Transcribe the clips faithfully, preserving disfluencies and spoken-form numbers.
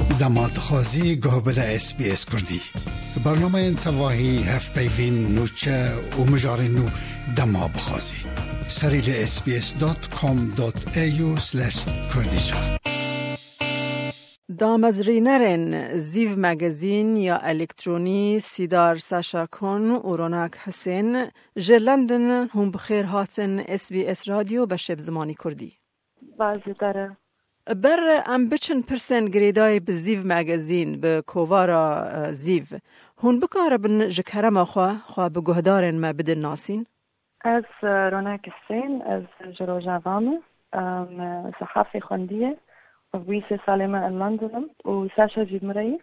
Dema dixwazî guh bide S B S Kurdî. Bernameyên tevahî, hevpeyvîn, nûçe û mijarên nû dema bixwazî. Serî li S B S dot com dot A U slash Kurdish. Damezrînerên Zîv Magazîn ya elektronî Sîdar Saşa Kon û Ronak Hisên ji London, hûn bi xêr hatin S B S Radyo beşê bi zimanî Kurdî. Baş ji te re. Ber em biçin pirsên girêdayî bi Zîv Magazîn, bi kovara, e, Zîv, hûn bikaribin ji kerema xwe, xwe bi guhdarên me bidin nasîn? Ez, e, Ronak Husên, ez ji Rojava me. Em, sehafê xwendiye. Ev bûyî sê salê me li London im û Saşa jî bi min re ye.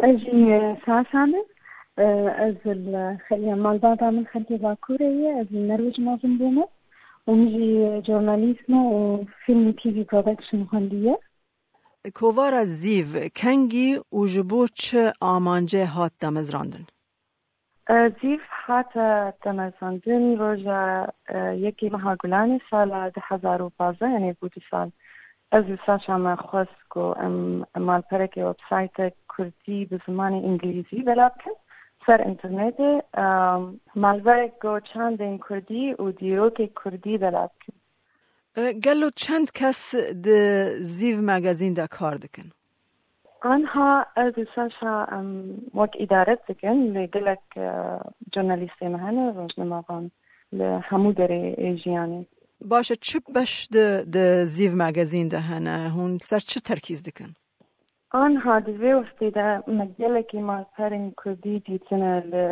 Ez jî, e, Saşa me. E, ez li xeliya malbata min xelkê Bakurê ye. Ez li Norwêc mezin bûme û min jî, e, jurnalîst me û film û T V production xwendiye. Kovara Zîv kengî û ji bo çi amancê hat damezrandin? E, Zîv hate damezrandin roja, e, yekê meha Gulanê sala du hezar û pazdeh, yanî bû du sal. Ez li Saşa me xwest ku em, em malperekê websaytek kurdî bi zimanê îngilîzî bela bikin ser înternetê, e, malberek ku çandên kurdî û dîrokê kurdî bela bikin. E, gelo çend kes di Zîv Magazîn de kar dikin? Anha ez û Saşa em wek îdaret dikin, lê gelek, e, jurnalîstê me hene, rojnamevan li hemû derê ê jiyanê. Baş e, çi beş di, di Zîv Magazîn de hene? Hûn ser çi terkîz dikin? Anha di vê wextê de me gelekî malperên kurdî dîtine li,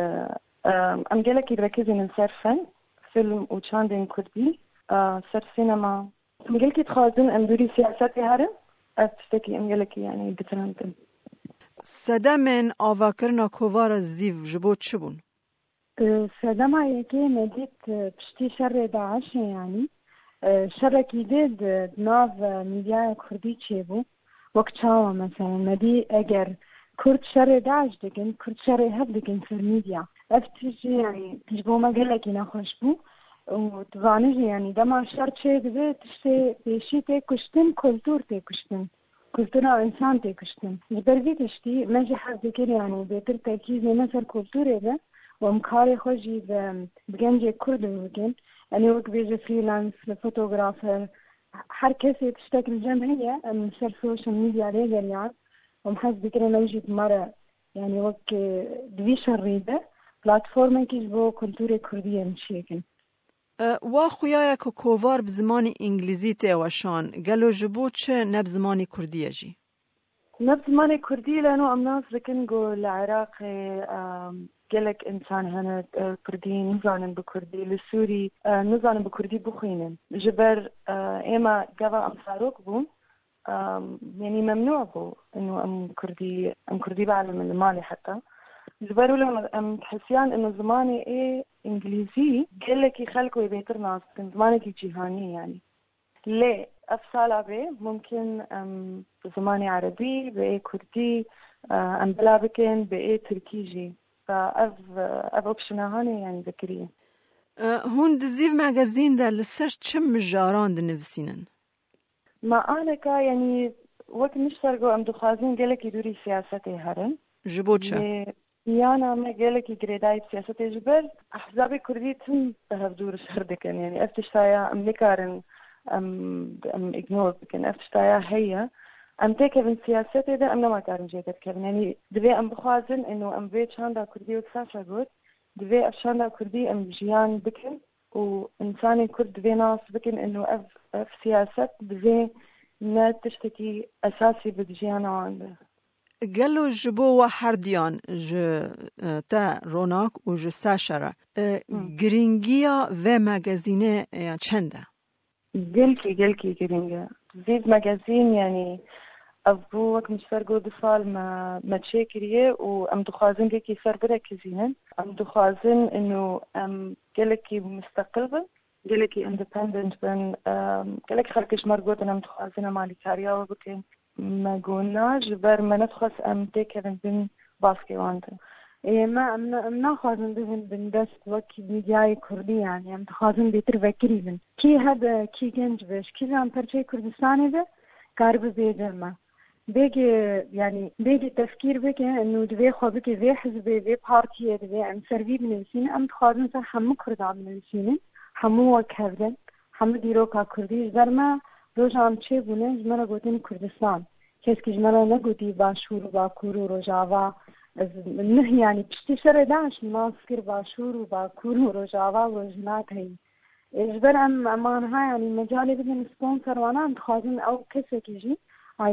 em, em gelekî direkizînin ser fen, film û çandên kurdî, e, ser sînema. Em gelekî dixwazin em dûrî siyasetê herin, ev tiştekî em gelekî, yanî, ditirandin. Sedemên avakirina kovara Zîv ji bo çi bûn? E, sedema yekê me dît, e, piştî şerê DAIŞê, yanî, e, şerekî dê di, di nav, e, mîdyaya kurdî çêbû. Wek çawa, mesela, me dî eger kurd şerê DAIŞ dikin, kurd şerê hev dikin ser mîdya. Ev tişt jî, yanî, ji bo me gelekî nexweş bû. Û tu zanî jî, yanî, dema şer çêdibe, tiştê pêşî tê kuştin, kultur tê kuştin. Kultura însan tê kuştin. Ji ber vî tiştî me jî hez dikir, yanî bêtir terkîzê me ser kulturê be û em karê xwe jî bi, bi gencê kurd bikin. Yanî wek bêje freelance, fotografer, her kesê tiştek li cem heye, em ser social media lê geriyan. Em hez dikirin em jî bi me re, yanî wek, e, di vî şerî de platformekî ji bo kulturê kurdî em çêkin. E, wa xuya ye ku kovar bi zimanê îngilîzî tê weşan, gelo ji bo çi ne bi zimanê kurdî ye jî? Ne bi zimanê kurdî, leno em nas dikin ku li Iraqê, e, gelek însan hene, e, kurdî nizanin bi kurdî, li Sûrî, e, nizanin bi kurdî bixwînin. Ji ber, e, ême gava em zarok bûn, Em, yanî memnû bû inu em kurdî, em kurdî bielimin li malê heta. Ji ber wilo em dihisiyan inu zimanê ê îngilîzî gelekî xelk wê bêtir nas bikin, zimanekî cîhanî yanî. Lê ev sala bê mumkin em bi zimanê erebî, bi ê kurdî, e, em bila bikin, bi ê tirkî jî. Ev, ev opsiyona hanê yanî vekirî. E, hûn di Zîv Magazîn de li ser çi mijaran dinivîsînin? Me aneka, yanî wek nişter got, em dixwazin gelekî dûrî siyasetê herin. Ji bo çi? Lê miyana me gelekî girêdayî bi siyasetê ji ber ehzabê kurdî tim bi hev dûr şer dikin. Yanî ev tiştaya em nikarin em, em ignore bikin. Ev tiştaya heye. Em têkevin siyasetê de em nema karin jê derkevin. Yanî divê em bixwazin ino em vê çanda kurdî wek Saşa got, divê ev çanda kurdî em jiyan bikin. û însanên Kurd divê nas bikin ino ev, ev siyaset divê ne tiştekî esasî bi di jiyana wan de. Gelo ji bo we herduyan, ji, e, te Ronak û ji Saşa re, e, Hı. girîngiya vê magazînê, e, çend e? Gelkî, gelkî girîng e. Zîv magazîn, yanî ev bû wek min ji ber got du sal me, me çêkiriye û em dixwazin gelkî ser birekizînin. Em dixwazin ino em gelekî musteqil bin. Gelekî independent bin, em, gelek xelkê ji me re gotin em dixwazin em alîkariya we bikin. Me got na, ji ber me nedixwest em têkevin bin baskê wan de. Ê, me, em ne, em naxwazin bibin bindest wek mîdyayê kurdî, yanî em dixwazin bêtir vekirî bin. Kî hebe, kî genc be, ji kîjan perçeyê Kurdistanê be, karibe bêje me. Bêgê, yanî bêgê tefkîr bike, û divê xwe bike vê hizbê, vê partiyê, divê em ser vî binivîsînin. Em dixwazin ser hemû Kurdan binivîsînin, hemû wek hev bin, hemû dîroka Kurdî. Ji ber me roja em çêbûne, ji me re gotin Kurdistan. Kesekî ji me re negotî Başûr û Bakur û Rojava. Ez neh, yanî piştî şerê DAIŞ nas kir Başûr û Bakur û Rojava û Rojhilat heyî. Ê, ji ber em, em aniha, yanî, mecalê bidin sponsor wana, em dixwazin ew kesekî jî, ay,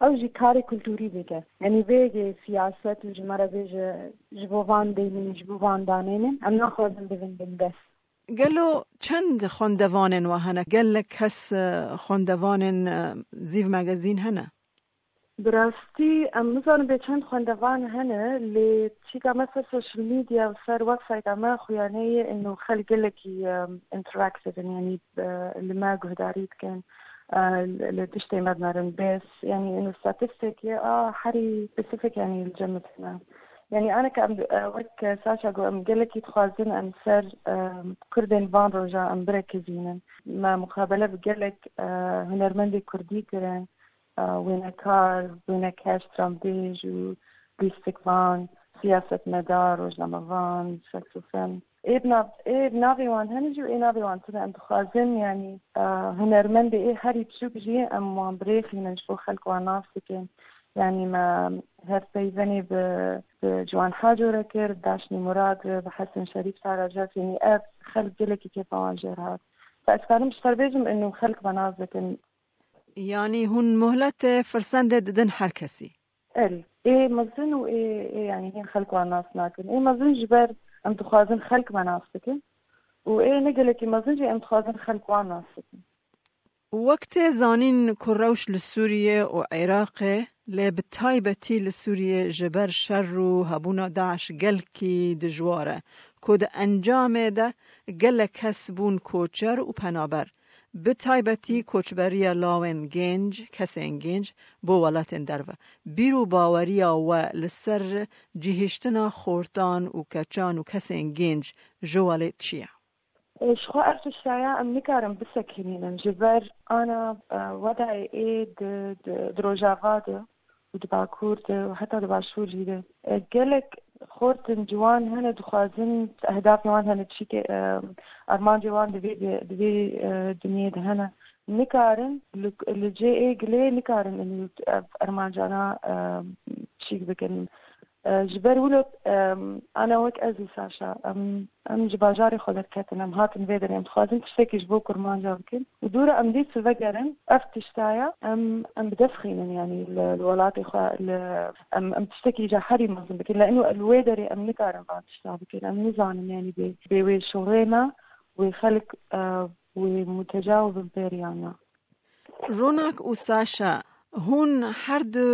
ew jî karê kulturî bike. Yanî, bêgê siyaset û ji me re bêje, ji bo van deynîn, ji bo van danênin, em naxwazin bibin bindest. Gelo çend xwendevanên we hene? Gelek kes, e, xwendevanên, e, Zîv Magazîn hene? Bi rastî em nizanin bê çend xwendevan hene, lê çîka me ser social media û ser websayta me xuyanê ye, ino xelk gelekî, em, interactive in, yanî, e, li me guhdarî dikin, e, li, li tiştê me dinerin. Bes, yanî, ino statistik ye, a, herî specific, yanî, li cem me tune. Yanî, aneke em, e, wek Saşa got, em gelekî dixwazin em ser, e, Kurdên van roja em birekizînin. Me muqabele bi gelek, e, hunermendê Kurdî kirin. e, wênekar, wêneker, stranbêj û lîstikvan, siyasetmedar, rojnamevan, felsefen. Ê bi nav, ê bi navê wan hene jî û ê navê wan tune. Em dixwazin, yanî, e, hunermendê ê herî biçûk jî em wan birêxînin ji bo xelk wan nas bikin. Yanî me her peyvenê bi, bi Ciwan Haco re kir, Daşnî Murad, bi Hesen Şerîf, Sara Cef, yanî ev xelk gelekî kêfa wan jê re hat. Ez karim ji xwe bêjim, ino xelk me nas dikin. Yanî hûn muhletê, firsendê didin her kesî? Erê, ê mezin û ê, ê, yanî hîn xelk wan nas nakin. Ê mezin ji ber em dixwazin xelk me nas bikin û ê ne gelekî mezin jî em dixwazin xelk wan nas bikin. Wek tê zanîn ku rewş li Sûriyê û Iraqê, lê bi taybetî li Sûriyê ji ber şer û hebûna DAIŞ gelkî dijwar e, ku di encamê de gelek kes bûn koçer û penaber. Bi taybetî koçberiya lawên gênc, kesên gênc bo welatên derve. Bîr û baweriya we li ser cihiştina xortan û keçan û kesên gênc ji welêt çi ye? Ji xwe ev tiştaya em nikarin bisekinînin. Ji ber ana, e, wedayê ê di, di, di Rojava de û di Bakur de û heta di Başûr jî de. E, gelek xortin ciwan hene, dixwazin ehdafê wan hene, çîkê, e, armancê wan di vê, di vê, e, dinyê de hene. Nikarin li, li cê ê gilê nikarin ev armancana, e, çîk bikin. E, ji ber wilo, e, ana wek ez û Saşa, em, em ji bajarê xwe derketin, em hatin vê derê, em dixwazin tiştekî ji bo kurmanca bikin. Û dûra em dî sivegerin, ev tiştaya em, em bi dest xînin, yanî li, li welatê xwe, li, em, em tiştekî îca herî mezin bikin. Lê ino li wê derê em nikarin van tişta bikin. Em nizanin, yanî bê, bê wê şorê me, wê xelk, e, wê muteca û binpêriyan ne. Ronak û Saşa, hûn her du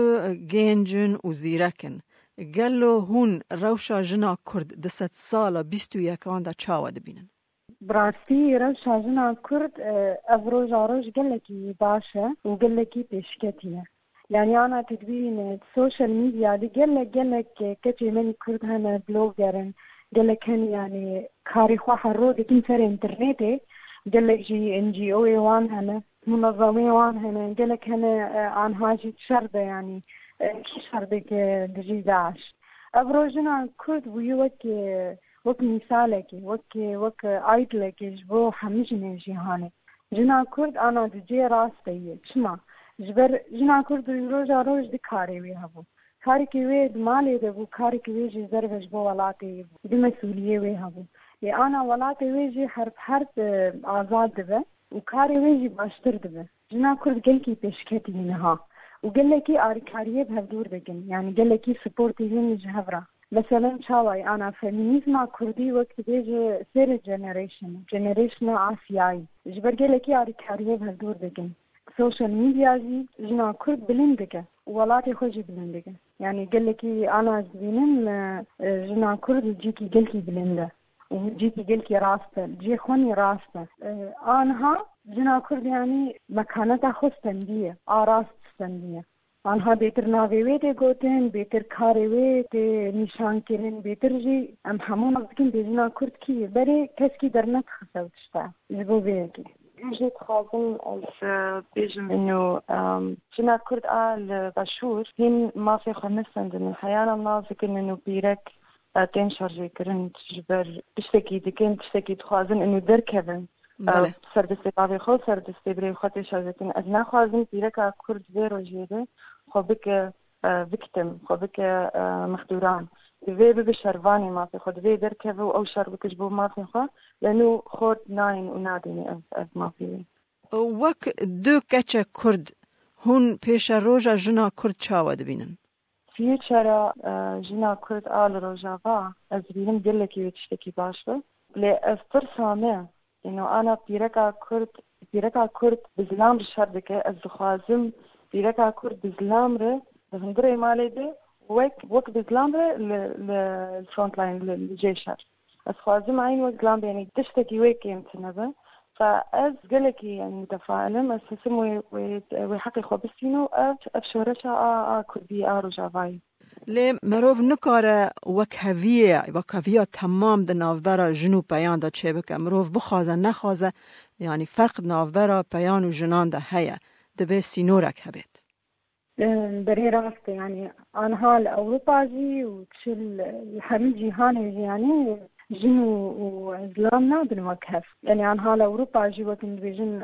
gênc in û zîrek in. Gelo hûn rewşa jina Kurd di sedsala bîst û yekan de çawa dibînin? Bi rastî rewşa jina Kurd, e, ev roja roj gelekî baş e û gelekî pêşketî ye. Yanî ana tu dibînî, e, social media de gelek, gelek, e, keçê me yê Kurd hene, blogger in, gelek hene, yanî karê xwe her roj dikin ser înternetê, gelek jî N G O'yê wan hene, munezemeyê wan hene, gelek hene, e, anha jî şer de, yanî, e, kî şer dike dijî DAIŞ. Ev roj jina Kurd bûye wek, e, wek mîsalekê, wek, wek aîdlekê ji bo hemî jinên cîhanê. Jina Kurd ana di cihê rastê ye. Çima? Ji ber jina Kurd roja roj du karê wê hebû. Karekî wê di malê de bû, karekî wê jî derve ji bo welatê bû. Du mesûliyê wê hebû. Lê ana welatê wê jî herb herb, e, azad dibe û karê wê jî baştir dibe. Jina Kurd gelkî pêşketî ye niha û gelekî alîkariyê bi hevdûr dikin. Yanî gelekî supportê wê ne ji hev re. Meselen çawa ye? Ana femînîzma Kurdî wek dibêje third generation, generationa Asyayî. Ji ber gelekî alîkariyê bi hevdûr dikin. Social media jî jina Kurd bilind dike û welatê xwe jî bilind dike. Yanî gelekî ana ez dibînim, e, e, jina Kurd cîkî gelkî bilind e û cîkî gelkî rast e, cihê xwe nî rast e. E, anha jina Kurd, yanî, mekaneta xwe stendiye, a rast stendiye. Anha bêtir navê wê tê gotin, bêtir karê wê tê nîşankirin, bêtir jî em hemû nas dikin bê jina Kurd kî ye. Berê keskî dernedixist ew tişta ji bo vê yekê. Em jî dixwazin ez, e, bêjim inu, em, jina Kurd a li Başûr hîn mafê xwe nesendin. Heyana nas dikin inu pîrek, e, tên şarjêkirin ji ber tiştekî dikin, tiştekî dixwazin inu derkevin. E, Belê. Ser destê bavê xwe, ser destê birê xwe tê şarjêkirin. Ez naxwazim pîreka Kurd vê rojê de xwe bike, e, victim, xwe bike, e, mexdûran. Divê bibe şervanê mafê xwe, divê derkeve û ew şer bike ji bo mafê xwe. Lê nû xort nayên û nadînê ev, ev mafê wê. Wek du keçe Kurd, hûn pêşeroja jina Kurd çawa dibînin? Future-a, e, jina Kurd a li Rojava, ez dibînim gelekî wê tiştekî baş be. Lê ez pirsa me, ino ana pîreka Kurd, pîreka Kurd bi zilam re şer dike. Ez dixwazim pîreka Kurd bi zilam re di hundirê malê de wek, wek bi zilam re li, li frontline, li, li cê şer. Ez xwazim eyn wek zilam bênî tiştekî wê kêm tune be. Fa ez gelekî, yanî, mutefail im. Ez hêsim wê, wê, wê heqê xwe bistîno. Ev, ev şoreşa a, a Kurdî, a Rojavayê. Lê mirov nikare wekheviyê, wekheviya temam di navbera jin û peyan de çêbike. Mirov bixwaze, nexwaze, yanî ferq di navbera peyan û jinan de heye. Dibe sînorek hebêt. Em, berê rast e, yanî anha li Ewropa jî û çi li, li hemî cîhanê jî, yanî jin û, û zilam nabin wek hev. Yanî anha li Ewropa jî wek em dibêjin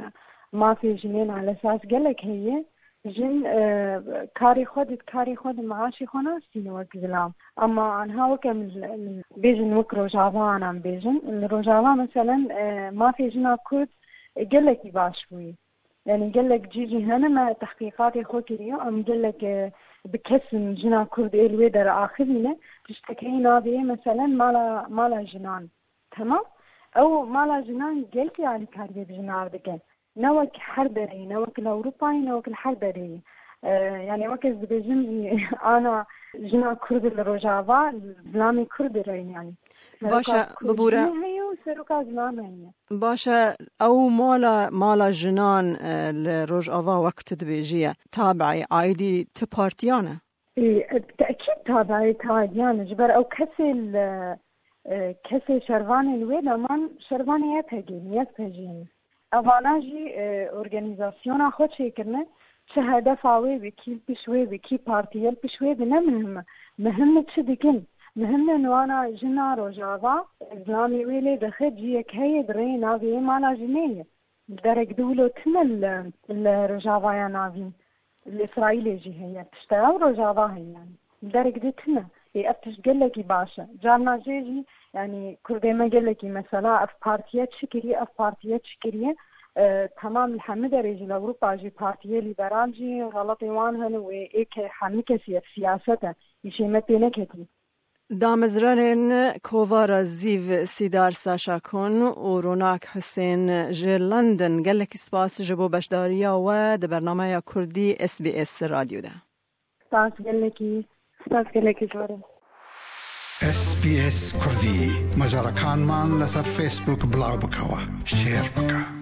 mafê jinên elesas gelek heye. Jin, e, karê xwe di, karê xwe di, maaşê xwe nastîne wek zilam. Ama anha wek em li, li, bêjin wek Rojava anan bêjin. Li Rojava meselen, e, mafê jina Kurd, e, gelekî baş bûye. Yanî gelek cî jî hene me tehqîqatê xwe kiriye, em gelek, e, bi kesin jina Kurd ê li wê dere axivîne, tiştekeyî navê yê meselen mala, mala jinan. Temam? Ew mala jinan gelkî alîkariyê bi jinan re dike. Ne wek her dereyî, ne wek li Ewropayê, ne wek li her dereyî. E, yanî wek ez dibêjim jî, ana jina Kurd li Rojava, zilamê Kurd re yanî. Baş e, Seroka Kurd bibûre. Jî heye û seroka zilam heye. Baş e, ew mala, mala jinan, e, li Rojava wek tu dibêjî ye. Tabiî, aîdî ti partiyan e? Ê, tekîd tabiî, tabiî, yanî ji ber ew kesê li, e, kesê şervanê li wê de man şervanê Y P G ne, Y P G ne. Evana jî, e, organîzasyona xwe çêkirine, çi hedefa wê be, kî li pişt wê be, kî partiye li pişt wê be, ne muhim e. Muhim e çi dikin. Muhim e wana jina Rojava, zilamê wê lê dixe, ciyek heye, di rêyê navê yê mala jinê ye. Li derek di wilo tune li, li Rojavaya Navîn, li Îsraîlê jî heye. Tişta ew Rojava heye yanî. Li derek di tune. Ê, ev tişt gelekî baş e. Carna jê jî, yanî Kurdê me gelekî mesela ev partiye çi kiriye, ev partiye çi kiriye? E, temam li hemî derê jî, li Ewropa jî partiyê lîberal jî xeletê wan hene wê ê ke hemî kesî ev siyaset e. Îşê me pê neketî. Damezrarên Kovara Zîv Sîdar Saşakon û Ronak Husên ji London, gelekî spas ji bo beşdariya we di bernameya Kurdî S B S Radyo de. Spas gelekî, spas gelekî zor e. S B S Kurdî, macerekanman li ser Facebook bilav bikewe, share bike.